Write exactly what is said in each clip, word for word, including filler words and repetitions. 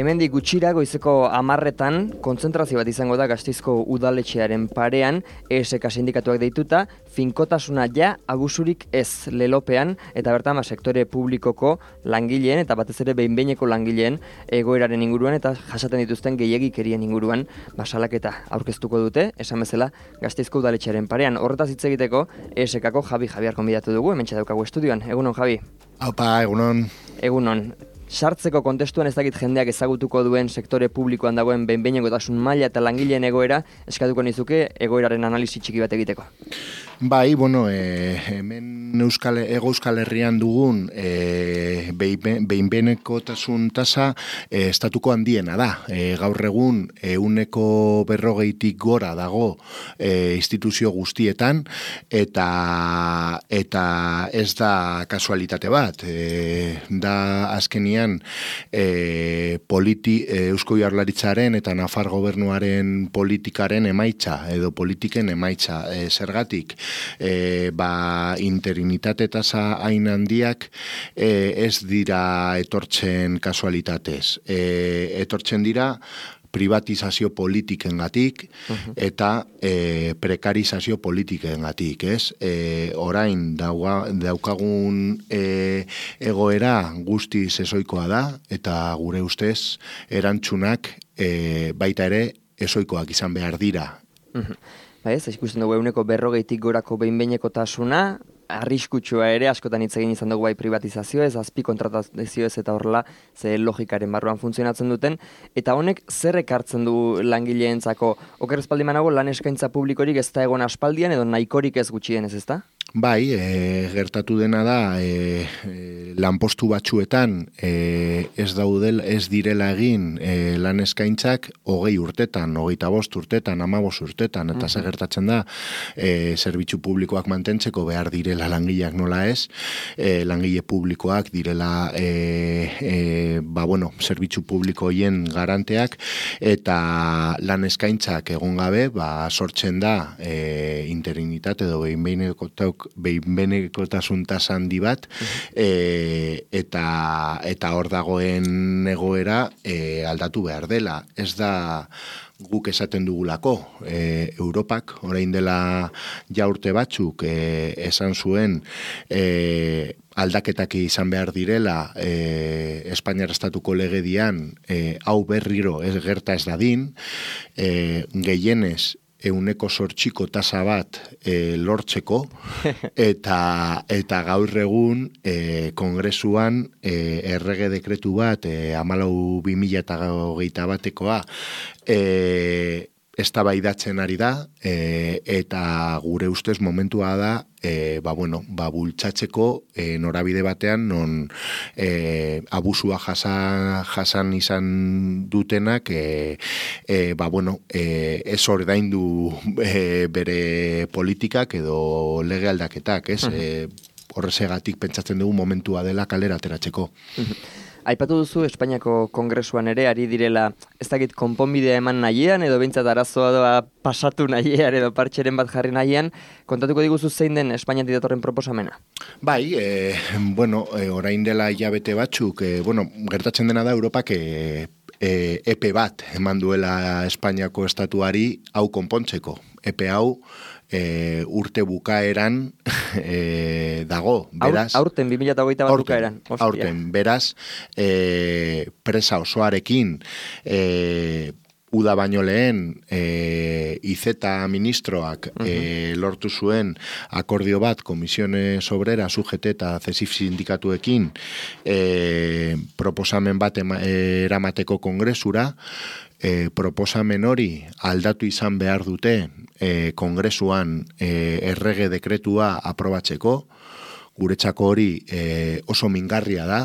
Hemendik gutxira goizeko hamarretan kontzentrazio bat izango da Gasteizko udaletxearen parean, E S K sindikatuak deituta, finkotasuna ja abusurik ez lelopean, eta bertan ba, sektore publikoko langileen eta batez ere behin-behineko langileen egoeraren inguruan eta jasaten dituzten gehiegikerien inguruan ba, salaketa aurkeztuko dute, esan bezala Gasteizko udaletxearen parean. Horretaz hitz egiteko E S K-ko Javi Javier konbidatu dugu, hementxe daukagu estudioan. Egunon, Javi? Aupa, egunon. Egunon. Sartzeko kontestuan ez dakit jendeak ezagutuko duen sektore publikoan dagoen behin-behinekotasun maila eta langileen egoera, eskatuko nizuke egoeraren analisi txiki bat egiteko. Bai, bueno, e, hemen Euskal, Ego Euskal Herrian dugun e, behin-behinekotasun tasa e, estatuko handiena da. E, gaur egun ehuneko berrogeitik gora dago e, instituzio guztietan eta eta ez da kasualitate bat. E, da azkenian e, politi, e, Eusko Jaurlaritzaren eta Nafar gobernuaren politikaren emaitza edo politiken emaitza e, zergatik. E, ba, interinitate tasa hain handiak e, ez dira etortzen kasualitatez. E, etortzen dira privatizazio politikengatik uh-huh. eta e, prekarizazio politikengatik, ez? E, orain dauga, daukagun e, egoera guztiz ezoikoa da eta gure ustez erantzunak e, baita ere ezoikoak izan behar dira. Uh-huh. Ba ez, ikusten dugu eguneko berrogeitik gorako behin-behinekotasuna, arriskutsua ere, askotan hitz egin izan dugu bai privatizazio ez, azpi kontratazio ez eta horrela ze logikaren barruan funtzionatzen duten, eta honek zer ekartzen du langileentzako? Oker ez baldin banago lan eskaintza publikorik ez da egon aspaldian edo nahikorik ez gutxienez, ez da? Bai, e, gertatu dena da e, e, lanpostu batzuetan e, ez daudel, ez direla egin e, lan eskaintzak hogei urtetan, hogeita bost urtetan, hamabost urtetan, eta ze gertatzen da e, zerbitzu publikoak mantentzeko behar direla langileak nola ez, e, langile publikoak direla e, e, ba bueno, zerbitzu publiko hien garanteak eta lan eskaintzak egon gabe, ba sortzen da e, interinitate edo behin-behinekotauk behin-behinekotasun tasa handi bat e, eta eta hor dagoen egoera e, aldatu behar dela. Ez da guk esaten dugulako, e, Europak orain dela ja urte batzuk e, esan zuen e, aldaketak izan behar direla e, Espainiar estatuko legedian e, hau berriro ez gerta ez dadin, e, gehienez euneko zortziko tasa bat e, lortzeko eta eta gaur egun e, kongresuan e, errege dekretu bat e, hamalau bi mila hogeita batekoa e, eztabaidatzen ari da e, eta gure ustez momentua da e, ba bueno, ba bultzatzeko e, norabide batean non e, abusua jasan, jasan izan dutenak e, e, ba bueno, e, ez ordaindu e, bere politikak edo lege aldaketak, ez? Uh-huh. E, horrezegatik pentsatzen dugu momentua dela kalera ateratzeko. Uh-huh. Aipatu duzu Espainiako Kongresuan ere ari direla, ez dakit konponbidea eman nahian edo behintzat arazoa doa pasatu nahian edo partxeren bat jarri nahian, kontatuko diguzu zein den Espainiatik datorren proposamena? Bai, e, bueno, e, orain dela hilabete batzuk, e, bueno, gertatzen dena da Europak e, e, epe bat eman duela Espainiako estatuari hau konpontzeko. Epe hau E, urte bukaeran e, dago, beraz... Aurten, bi mila hogeita bat bukaeran. Aurten, beraz, e, presa osoarekin, e, uda baino lehen, e, I Z ministroak uh-huh. e, lortu zuen akordio bat Komisiones Obrera, U G T eta C E S I F sindikatuekin e, proposamen bat ema, e, eramateko kongresura, E, proposamen hori aldatu izan behar dute e, kongresuan e, errege dekretua aprobatzeko, guretzako hori e, oso mingarria da,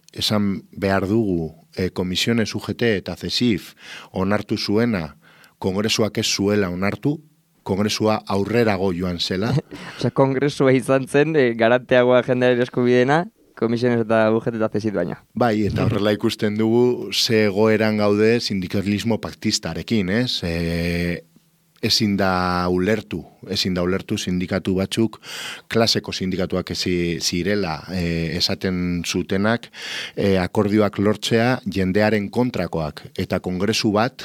esan behar dugu e, Komisiones U G T eta C E S I F onartu zuena, kongresuak ez zuela onartu, kongresua aurrerago joan zela. Osea, kongresua izan zen, e, garanteagoa jendearen eskubidena, komisiones eta U G T eta zesit baina. Bai, eta horrela ikusten dugu ze egoeran gaude sindikalismo paktistarekin, ez? E, ezin da ulertu, ezin da ulertu sindikatu batzuk, klaseko sindikatuak ezi zirela e, esaten zutenak, e, akordioak lortzea jendearen kontrakoak, eta kongresu bat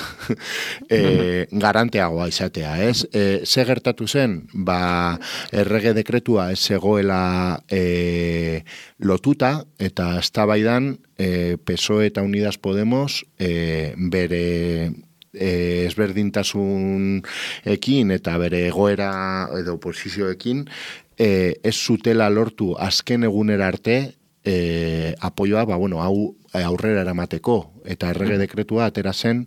e, garanteagoa izatea, ez? E, ze gertatu zen, ba, errege dekretua ez zegoela e, lotuta, eta eztabaidan e, P S O E eta Unidas Podemos e, bere E, ezberdintasunekin eta bere egoera edo oposizioekin e, ez zutela lortu azken egunera arte e, apoioa, ba, bueno, hau aurrera eramateko, eta errege dekretua atera zen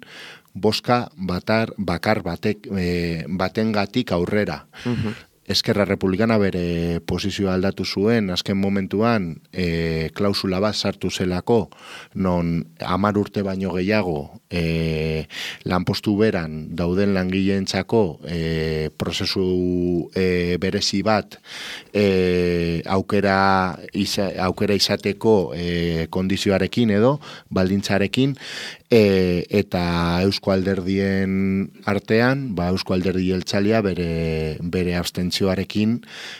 boska batar, bakar batek, e, batengatik aurrera. Uh-huh. Eskerra Republikana bere posizioa aldatu zuen, azken momentuan e, klausula bat sartu zelako, non hamar urte baino gehiago e, lanpostu beran dauden langileentzako e, prozesu e, berezi bat e, aukera, isa, aukera izateko e, kondizioarekin edo, baldintzarekin, E, eta Eusko Alderdien artean, ba, Eusko Alderdi Jeltzalea bere, bere abstentzioarekin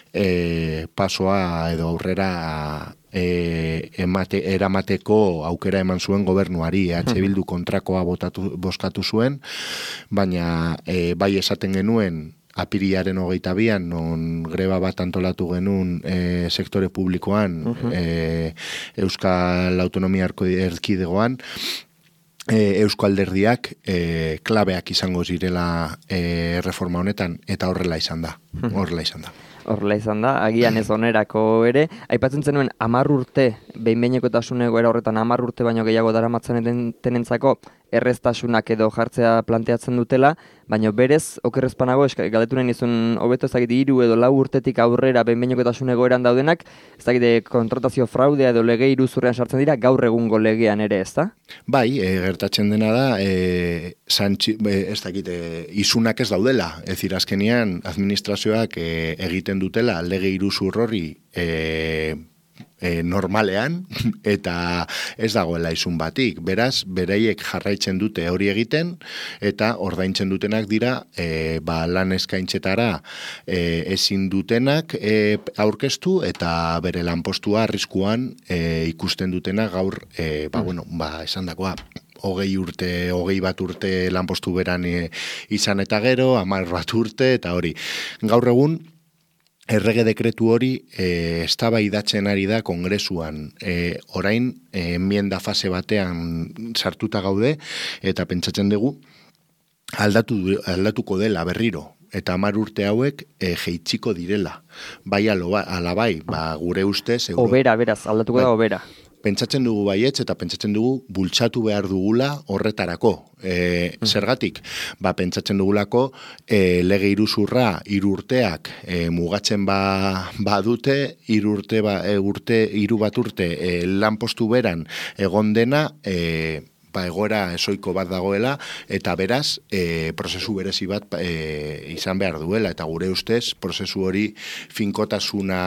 e, pasoa edo aurrera e, emate, eramateko aukera eman zuen gobernuari. H Bildu kontrakoa botatu, boskatu zuen, baina e, bai esaten genuen apirilaren hogeita bian, non greba bat antolatu genuen e, sektore publikoan, uh-huh. e, Euskal Autonomia Erkidegoan, E, Eusko Alderdiak e, klabeak izango zirela e, reforma honetan, eta horrela izan da. Horrela izan da. Horrela izan da, agian ez onerako ere. Aipatzen zenuen, hamar urte, behin-behinekotasun egoera horretan hamar urte baino gehiago daramatzen tenentzako erreztasunak edo jartzea planteatzen dutela, baina berez, okerrezpanago, galdetu nahi nizun, hobeto ezagite hiru edo lau urtetik aurrera behin-behinekotasun egoeran daudenak, ezagite kontratazio fraudea edo lege iruzurrean sartzen dira, gaur egungo legean ere, ez da? Bai, e, gertatzen dena da, e, santxi, e, ez dakite, izunak ez daudela, ez azkenean administrazioak e, egiten dutela lege iruzur hori e, E, normalean, eta ez dagoela izun batik. Beraz, bereiek jarraitzen dute hori egiten, eta ordaintzen dutenak dira e, ba, lan eskaintzetara e, ezin dutenak e, aurkeztu, eta bere lanpostua arriskuan e, ikusten dutenak gaur, e, ba, bueno, ba, esan dakoa, hogei urte, hogei bat urte lanpostu beran e, izan eta gero, hamar bat urte, eta hori. Gaur egun, errege dekretu hori e, eztabaidatzen ari da kongresuan. E, orain, e, enmienda fase batean sartuta gaude, eta pentsatzen dugu, aldatu, aldatuko dela berriro. Eta hamar urte hauek e, jeitsiko direla. Bai aloba, alabai, ba, gure ustez... Euro... Obera, beraz, aldatuko da obera. Pentsatzen dugu baietz eta pentsatzen dugu bultzatu behar dugula horretarako. E, zergatik, ba, pentsatzen dugulako e, lege iruzurra hiru urteak e, mugatzen ba, badute, hiru urte, ba, e, urte, hiru bat urte e, lanpostu beran egon dena, e, ba, egoera esoiko bat dagoela, eta beraz, e, prozesu berezi bat e, izan behar duela, eta gure ustez, prozesu hori finkotasuna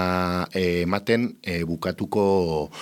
e, ematen e, bukatuko,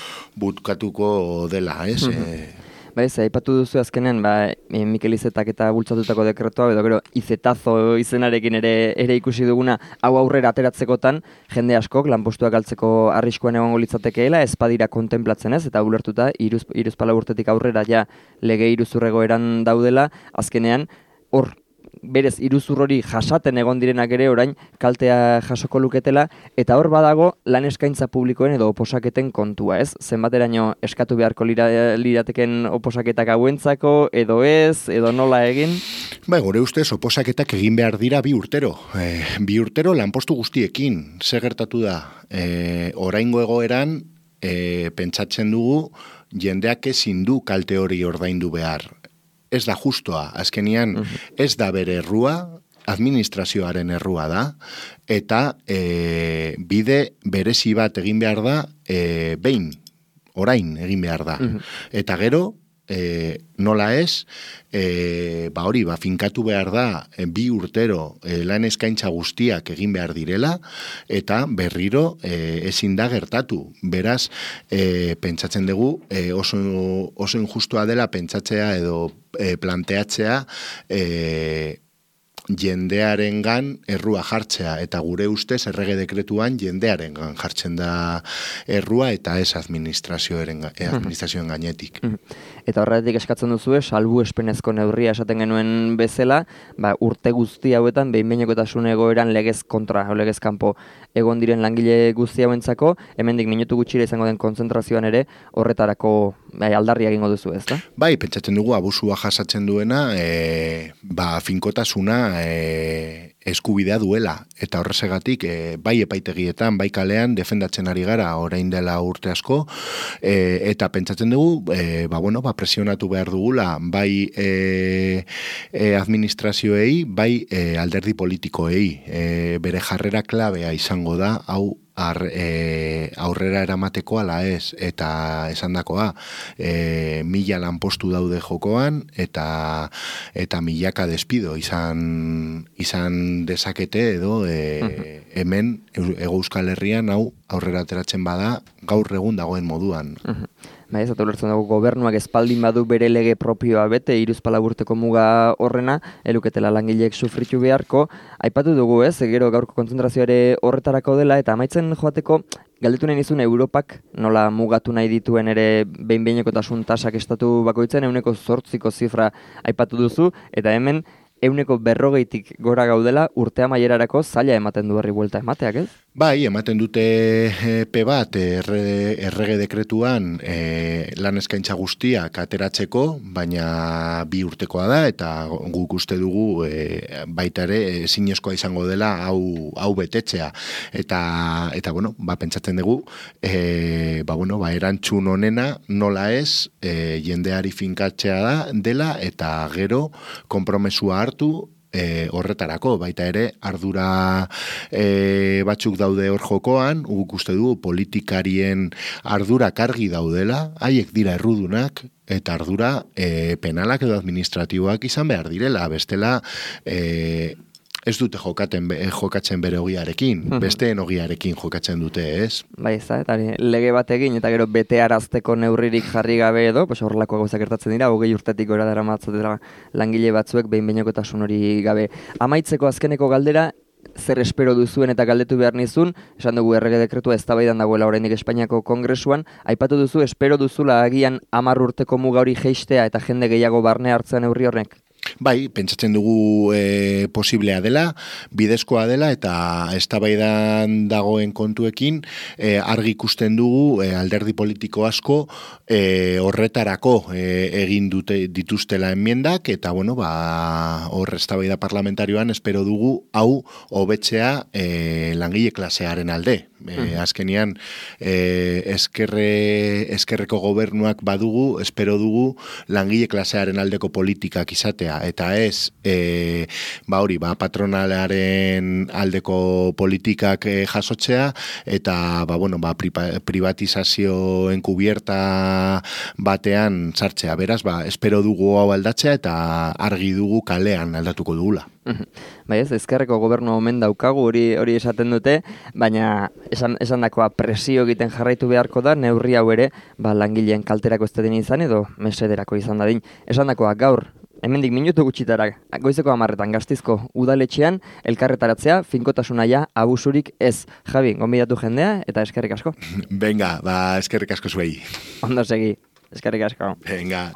bukatuko dela, ez? Mm-hmm. e, Ba ez, aipatu duzu azkenen, ba, Mikel Izetak eta bultzatutako dekretoa, edo gero Izetazo izenarekin ere ere ikusi duguna, hau aurrera ateratzekotan, jende askok lanpostuak galtzeko arriskuan egongo litzatekeela, ez badira kontemplatzen ez, eta ulertuta, iruz, iruzpala urtetik aurrera ja lege iruzurrego eran daudela, azkenean, hor, berez iruzur hori jasaten egon direnak ere orain kaltea jasoko luketela, eta hor badago lan eskaintza publikoen edo oposaketen kontua, ez? Zenbateraino eskatu beharko lira, lirateken oposaketak hauentzako, edo ez, edo nola egin? Ba, gure ustez, oposaketak egin behar dira bi urtero. E, bi urtero lanpostu guztiekin. Zer gertatu da? E, oraingo egoeran, e, pentsatzen dugu, jendeak ezin du kalte hori ordaindu behar. Ez da justoa, azkenian ez da bere errua, administrazioaren errua da, eta e, bide berezi bat egin behar da, e, behin, orain egin behar da. Eta gero, e, nola ez, e, ba hori, ba, finkatu behar da, e, bi urtero e, lan eskaintza guztiak egin behar direla, eta berriro e, ezin da gertatu. Beraz, e, pentsatzen dugu, e, oso, oso injustua dela pentsatzea edo e, planteatzea, e, jendearengan errua jartzea, eta gure ustez errege dekretuan jendearengan jartzen da errua eta ez administrazioaren administrazioen gainetik. Eta horretik eskatzen duzue, salbu espenezko neurria esaten genuen bezala, ba, urte guzti hauetan behin-behinekotasun egoeran legez kontra, legez kanpo egon diren langile guzti hauentzako, hemendik minutu gutxira izango den kontzentrazioan ere horretarako bai, aldarri egingo duzu, ezta? Bai, pentsatzen dugu abusua jasatzen duena, e, ba, finkotasuna e, eskubidea duela, eta horrezegatik e, bai epaitegietan, bai kalean defendatzen ari gara orain dela urte asko, e, eta pentsatzen dugu, e, ba, bueno, ba, presionatu behar dugula, bai e, e, administrazioei, bai e, alderdi politikoei, e, bere jarrera klabea izango da, hau Ar, e, aurrera eramateko ala ez, eta esandakoa e, mila lanpostu daude jokoan, eta eta milaka despido izan izan dezakete edo e, hemen Hego Euskal Herrian hau aurrera ateratzen bada gaur egun dagoen moduan. Bai, ez ulertzen dugu gobernuak espaldin badu bere lege propioa bete, hiruzpalau urteko muga horrena, eluketela langileek sufritu beharko. Aipatu dugu ez, gero gaurko kontzentrazioare horretarako dela, eta amaitzen joateko, galdetu nahi nizun Europak nola mugatu nahi dituen ere behin-behinekotasun tasak estatu bakoitzen, euneko zortziko zifra aipatu duzu, eta hemen euneko berrogeitik gora gaudela urte amaierarako zaila ematen du herri buelta emateak, ez? Bai, ematen dute epe bat erre, errege dekretuan e, lan eskaintza guztiak ateratzeko, baina bi urtekoa da, eta guk uste dugu e, baita ere ezinezkoa izango dela hau, hau betetzea. Eta, eta bueno, ba, pentsatzen dugu, e, ba, bueno, ba, erantzun honena nola ez e, jendeari finkatzea da dela, eta gero konpromesua hartu, E, horretarako, baita ere ardura e, batzuk daude hor jokoan, guk uste du politikarien ardura kargi daudela, haiek dira errudunak, eta ardura e, penalak edo administratiboak izan behar direla, bestela e, ez dute jokaten, jokatzen bere ogiarekin, besteen ogiarekin jokatzen dute, ez? Bai, ez da, eta lege bat egin, eta gero bete arazteko neurririk jarri gabe edo, pues horrelako gauzak gertatzen dira, hogei urtetik gora dara matzatela langile batzuek behin-behinekotasun hori gabe. Amaitzeko azkeneko galdera, zer espero duzuen eta galdetu behar nizun, esan dugu errege dekretua eztabaidan dagoela oraindik Espainiako Kongresuan, aipatu duzu, espero duzula agian hamar urteko muga hori jeistea eta jende gehiago barne hartzen neurri horrek? Bai, pentsatzen dugu e, posiblea dela, bidezkoa dela, eta eztabaidan dagoen kontuekin e, argi ikusten dugu e, alderdi politiko asko e, horretarako e, egin dute dituztela enmiendak, eta bueno, ba, hor eztabaida parlamentarioan espero dugu hau hobetzea e, langile klasearen alde. E, azkenian e, eskerre, eskerreko gobernuak badugu, espero dugu langile klasearen aldeko politikak izatea, eta ez e, ba hori, ba, patronalaren aldeko politikak e, jasotzea, eta ba, bueno, ba, privatizazio enkubierta batean sartzea. Beraz, ba, espero dugu hau aldatzea, eta argi dugu kalean aldatuko dugula. Bai ez, ezkerreko gobernu omen daukagu, hori hori esaten dute, baina esan, esan dakoa presio egiten jarraitu beharko da, neurri hau ere, ba, langileen kalterako ez dadin izan edo mesederako izan dadin. Esan dakoa gaur, hemendik minutu gutxitara, goizeko hamarretan Gasteizko udaletxean, elkarretaratzea, finkotasuna ja, abusurik ez. Javi, gonbidatu jendea eta eskerrik asko. Venga, ba, eskerrik asko zuei. Ondo segi, eskerrik asko. Venga.